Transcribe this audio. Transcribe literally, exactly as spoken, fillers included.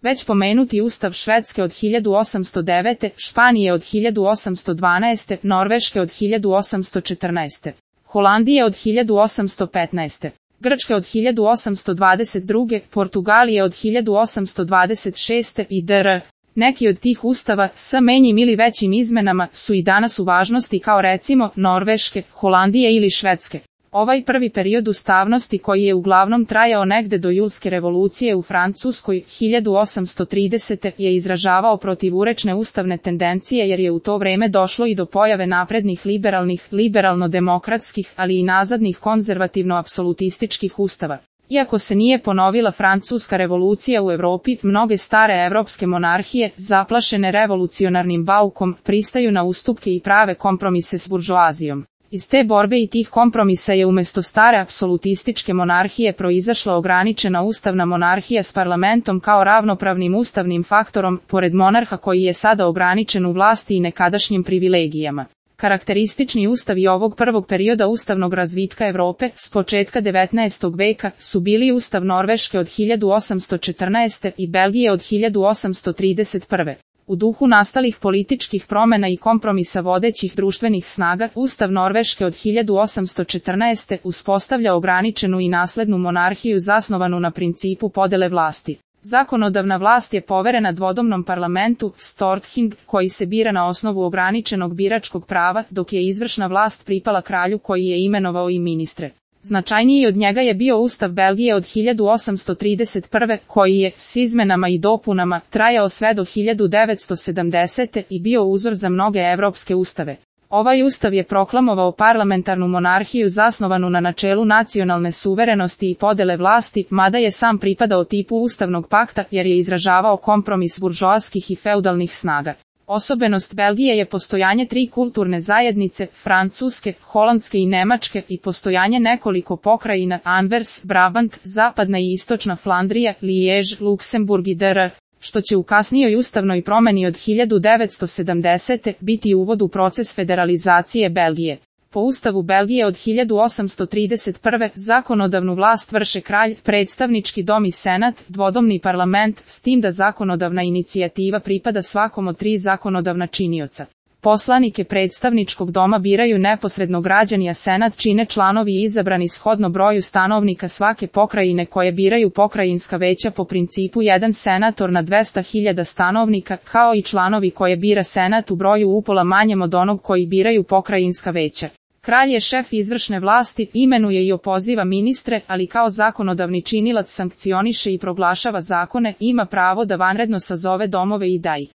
Već pomenuti ustav Švedske od hiljadu osamsto devete, Španije od hiljadu osamsto dvanaeste, Norveške od hiljadu osamsto četrnaeste, Holandije od hiljadu osamsto petnaeste, Grčke od hiljadu osamsto dvadeset druge, Portugalije od hiljadu osamsto dvadeset šeste i dr. Neki od tih ustava, s manjim ili većim izmenama, su i danas u važnosti kao recimo Norveške, Holandije ili Švedske. Ovaj prvi period ustavnosti koji je uglavnom trajao negde do Julske revolucije u Francuskoj hiljadu osamsto tridesete je izražavao protivurečne ustavne tendencije jer je u to vreme došlo i do pojave naprednih liberalnih, liberalno-demokratskih, ali i nazadnih konzervativno-apsolutističkih ustava. Iako se nije ponovila Francuska revolucija u Evropi, mnoge stare evropske monarhije, zaplašene revolucionarnim baukom, pristaju na ustupke i prave kompromise s buržoazijom. Iz te borbe i tih kompromisa je umesto stare apsolutističke monarhije proizašla ograničena ustavna monarhija s parlamentom kao ravnopravnim ustavnim faktorom, pored monarha koji je sada ograničen u vlasti i nekadašnjim privilegijama. Karakteristični ustavi ovog prvog perioda ustavnog razvitka Evrope, s početka devetnaestog veka, su bili ustav Norveške od hiljadu osamsto četrnaeste i Belgije od hiljadu osamsto trideset prve. U duhu nastalih političkih promena i kompromisa vodećih društvenih snaga, ustav Norveške od hiljadu osamsto četrnaeste uspostavlja ograničenu i naslednu monarhiju zasnovanu na principu podele vlasti. Zakonodavna vlast je poverena dvodomnom parlamentu, Storting, koji se bira na osnovu ograničenog biračkog prava, dok je izvršna vlast pripala kralju koji je imenovao i ministre. Značajniji od njega je bio ustav Belgije od hiljadu osamsto trideset prve, koji je, s izmenama i dopunama, trajao sve do hiljadu devetsto sedamdesete i bio uzor za mnoge evropske ustave. Ovaj ustav je proklamovao parlamentarnu monarhiju zasnovanu na načelu nacionalne suverenosti i podele vlasti, mada je sam pripadao tipu ustavnog pakta jer je izražavao kompromis buržoaskih i feudalnih snaga. Osobenost Belgije je postojanje tri kulturne zajednice, francuske, holandske i nemačke, i postojanje nekoliko pokrajina, Anvers, Brabant, zapadna i istočna Flandrija, Lijež, Luksemburg i dr. što će u kasnijoj ustavnoj promeni od hiljadu devetsto sedamdesete biti uvod u proces federalizacije Belgije. Po ustavu Belgije od hiljadu osamsto trideset prve zakonodavnu vlast vrše kralj, predstavnički dom i senat, dvodomni parlament, s tim da zakonodavna inicijativa pripada svakom od tri zakonodavna činioca. Poslanike predstavničkog doma biraju neposredno građani, a senat čine članovi izabrani shodno broju stanovnika svake pokrajine koje biraju pokrajinska veća po principu jedan senator na dvesta hiljada stanovnika, kao i članovi koje bira senat u broju upola manjem od onog koji biraju pokrajinska veća. Kralj je šef izvršne vlasti, imenuje i opoziva ministre, ali kao zakonodavni činilac sankcioniše i proglašava zakone, ima pravo da vanredno sazove domove i da ih